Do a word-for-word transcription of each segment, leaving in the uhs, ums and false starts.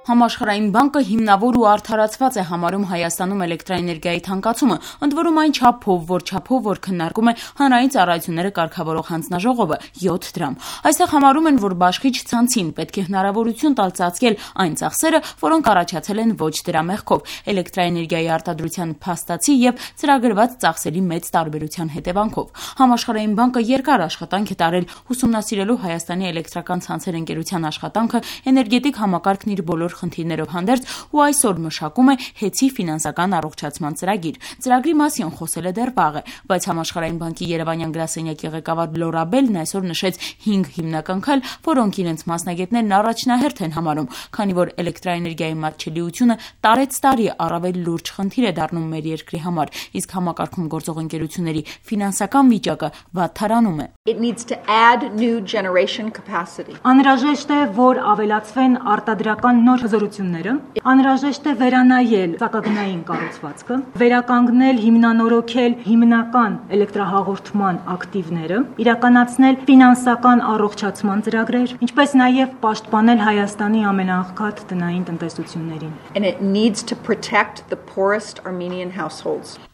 Համաշխարհային բանկը հիմնավոր ու արդարացված է համարում Հայաստանում էլեկտրաէներգիայի թանկացումը, ընդ որում այն չափով, որ չափով որ քննարկում է հանրային ծառայությունները կարգավորող հանձնաժողովը յոթ դրամ։ Այստեղ համարում են, որ բաշխիչ ցանցին պետք է հնարավորություն տալ ծածկել այն ծախսերը, որոնք առաջացել են ոչ դրա մեղքով, էլեկտրաէներգիայի արտադրության փաստացի եւ ծրագրված ծախսերի մեծ տարբերության հետևանքով։ Համաշխարհային բանկը երկար աշխատանք է տարել ուսումնասիրելու Հայաստանի էլեկտրական ցանցեր ընկերության աշխատանքը էներգետիկ համակարգն իր բոլոր խնդիրներով հանդերձ ու այսօր մշակում է հեծի ֆինանսական առողջացման ծրագիր։ Ծրագրի մասին խոսել է դեռ վաղ է, բայց Համաշխարհային բանկի Երևանյան գրասենյակի ղեկավար Լորա Բելն այսօր նշեց հինգ հիմնական քայլ, որոնք իրենց մասնագետներն առաջնահերթ են համարում, քանի որ էլեկտրաէներգիայի մատչելիությունը տարեց տարի առավել լուրջ խնդիր է դառնում մեր երկրի համար, իսկ համակարգում գործող ընկերությունների ֆինանսական վիճակը վատթարանում է։ Անհրաժեշտ է, որ ավելացվեն արտադրական նոր հզորությունները, անհրաժեշտ է վերանայել սակագնային կառուցվածքը, վերականգնել, հիմնանորոգել հիմնական էլեկտրահաղորդման ակտիվները, իրականացնել ֆինանսական առողջացման ծրագրեր, ինչպես նաև պաշտպանել Հայաստանի ամենաաղքատ տնային տնտեսություններին։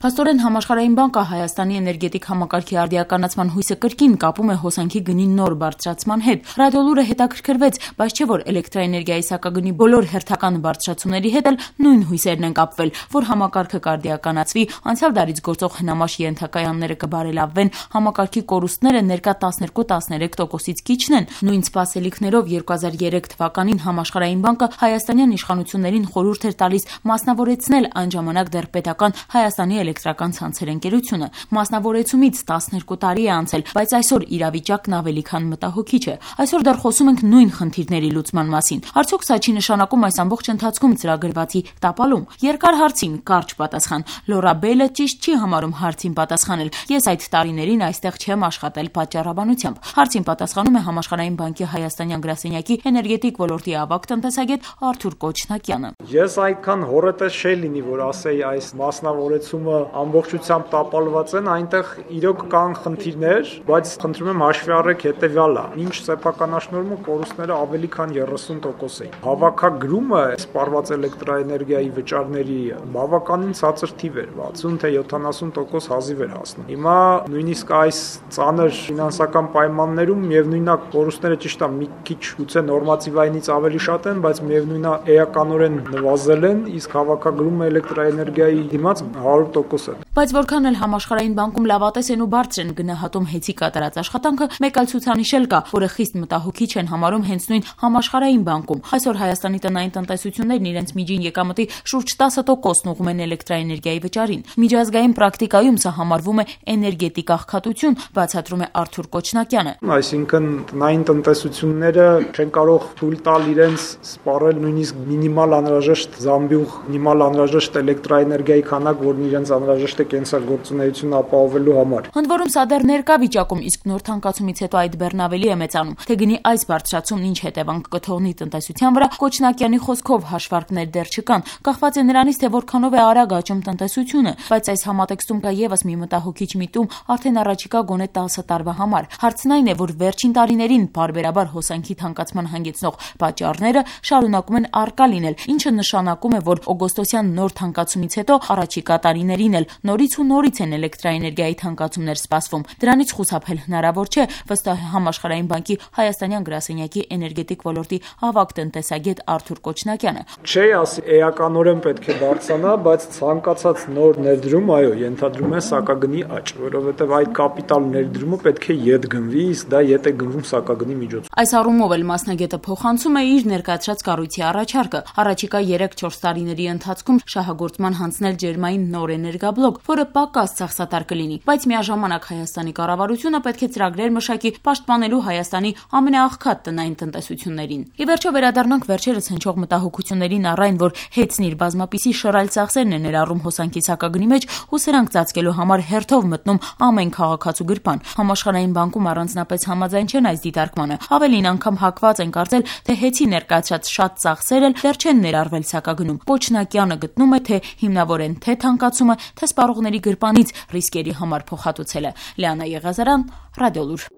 Փաստորեն Համաշխարհային բանկը Հայաստանի էներգետիկ համակարգի արդիականացման հույսը կրկին կապում է հոսանքի գնի նոր բարձրացման հետ։ Ռադիոլուրը հետաքրքրվեց, բայց չէ որ էլեկտրաէներգիայի սակագնի բոլոր հերթական բարձրացումների հետ էլ նույն հույսերն են կապվել, որ համակարգը կարդիականացվի, անցյալ դարից գործող հնամաշ ենթակայանները կբարելավվեն, համակարգի կորուստները ներկա տասներկու տասներեք տոկոսից կիջնեն։ Նույն սպասելիքներով երկու հազար երեք թվականին Համաշխարհային բանկը հայաստանյան իշխանություններին խորհուրդ էր տալիս մասնավորեցնել այն ժամանակ դեռ պետական Հայաստանի էլեկտրական ցանցեր ընկերությունը։ Մասնավորեցումից տասներկու տարի է անցել, բայց այսօր իրավիճակն ավելի քան մտահոգիչ է։ Այսօր դեռ խոսում ենք նույն խնդիրների լուծման մասին։ Արդյոք սա չի նշանակում այս ամբողջ ընթացքում ծրագրվածի տապալում։ Երկար հարցին կարճ պատասխան։ Լորա Բելը ճիշտ չի համարում հարցին պատասխանել։ Ես այդ տարիներին այստեղ չեմ աշխատել պատճառաբանությամբ։ Հարցին պատասխանում է Համաշխարհային բանկի Հայաստանյան գրասենյակի էներգետիկ ոլորտի ավագ տնտեսագետ Արթուր Կոչնակյանը։ Ես այդքան հորետես չէի լինի, որ ասեի այս մասնավորեցումը ամբողջությամբ տապալված են, այնտեղ իրոք կան խնդիրներ, բայց խնդրում եմ հաշվի առեք հետեւյալը։ Ինչ սեփականաշնորհումը կորուստները ավելի քան երեսուն տոկոս էին։ Հավաքագրումը սպառված էլեկտրաէներգիայի վճարների բավականին ցածր թիվ էր, վաթսուն թե յոթանասուն տոկոս հազիվ էր հասնում։ Հիմա նույնիսկ այս ծանր ֆինանսական պայմաններում միևնույնն կորուստները ճիշտ է մի քիչ գուցե նորմատիվայինից ավելի շատ են, բայց միևնույնն է էականորեն նվազել են, իսկ հավաքագրումը էլեկտրաէներգիայի դիմաց հարյուր տոկոս է։ Բայց որքան էլ Համաշխարհային բանկում լավատես են ու բարձր են գնահատում հեծի կատարած աշխատանքը, մեկ այլ ցուցանիշ էլ կա, որը խիստ մտահոգիչ են համարում հենց նույն Համաշխարհային բանկում։ Այսօր Հայաստանի տնային տնտեսություններն իրենց միջին եկամտի շուրջ տասը տոկոսն ուղղում են էլեկտրաէներգիայի վճարին։ Միջազգային պրակտիկայում սա համարվում է էներգետիկ աղքատություն, բացատրում է Արթուր Կոչնակյանը։ Այսինքն տնային տնտեսությունները չեն կարող թույլ տալ իրենց սպառել նույնիսկ մինիմալ անհրաժեշտ զամբյուղ, մինիմալ անհրաժեշտ էլեկտրաէներգիայի քանակ, որն իրենց անհրաժեշտ է կենսագործունեությունը ապահովելու համար։ Ընդ որում սա դեռ ներկա վիճակում, իսկ նոր թանկացումից հետո այդ բեռն ավելի է մեծանում։ Թե գնի այս բարձրացումն ինչ հետևանք կթողնի տնտեսության վրա, Կոչնակյանի խոսքով հաշվարկներ դեռ չկան, կախված է նրանից, թե որքանով է արագ աճում տնտեսությունը, բայց այս համատեքստում կա եւս մի մտահոգիչ միտում արդեն առաջիկա գոնե տասը տարվա համար։ Հարցն այն է, որ վերջին տարիներին բարբերաբար հոսանքի թանկացման հանգեցնող պատճառները շարունակում են առկա լինել, ինչը նշանակում է, որ օգոստոսյան նոր թանկացումից հետո առաջիկա տարիներին էլ նորից ու նորից են էլեկտրաէներգիայի թանկացումներ սպասվում։ Դրանից խուսափել հնարավոր չէ, վստահ է Համաշխարհային բանկի Հայաստանյան գրասենյակի էներգետիկ ոլորտի ավագ տնտեսագետ Արթուր Կոչնակյանը։ Չէ, ասի էականորեն պետք է բարձրանա, բայց ցանկացած նոր ներդրում, այո, ենթադրում է սակագնի աճ, որովհետև այդ կապիտալ ներդրումը պետք է ետ գնվի, իսկ դա ետ է գնվում սակագնի միջոցով։ Այս առումով էլ մասնագետը փոխանցում է իր ներկայացրած կառույցի առաջարկը։ Առաջիկա երեք-չորս տարիների ընթացքում շահագործման հանձնել ջերմային նոր էներգաբլոկ, որը պակաս ծախսատար կլինի, բայց միաժամանակ Հայաստանի կառավարությունը պետք է ծրագրեր մշակի պաշտպանելու Հայաստանի ամենաաղքատ տնային տնտեսություններին։ Ի վերջո վերադառնանք վերջերս հնչող մտահոգություններին առ այն, որ հեծն իր բազմապիսի շռայլ ծախսերն է ներառում հոսանքի սակագնի մեջ ու սրանք ծածկելու համար հերթով մտնում ամեն քաղաքացու գրպան։ Համաշխարհային բանկում առանձնապես համաձայն չեն այս դիտարկմանը։ Ավելին անգամ հակված են կարծել, թե հեծի ներկայացրած շատ ծախսեր էլ դեռ չեն ներառվել սակագնում։ Կոչնակյանը գտնում է, թե հիմնավորեն թե թանկացումը, թե սպառողների գրպանից ռիսկերի համար փոխհատուցելը։ Լիանա Եղազարյան, Ռադիոլուր։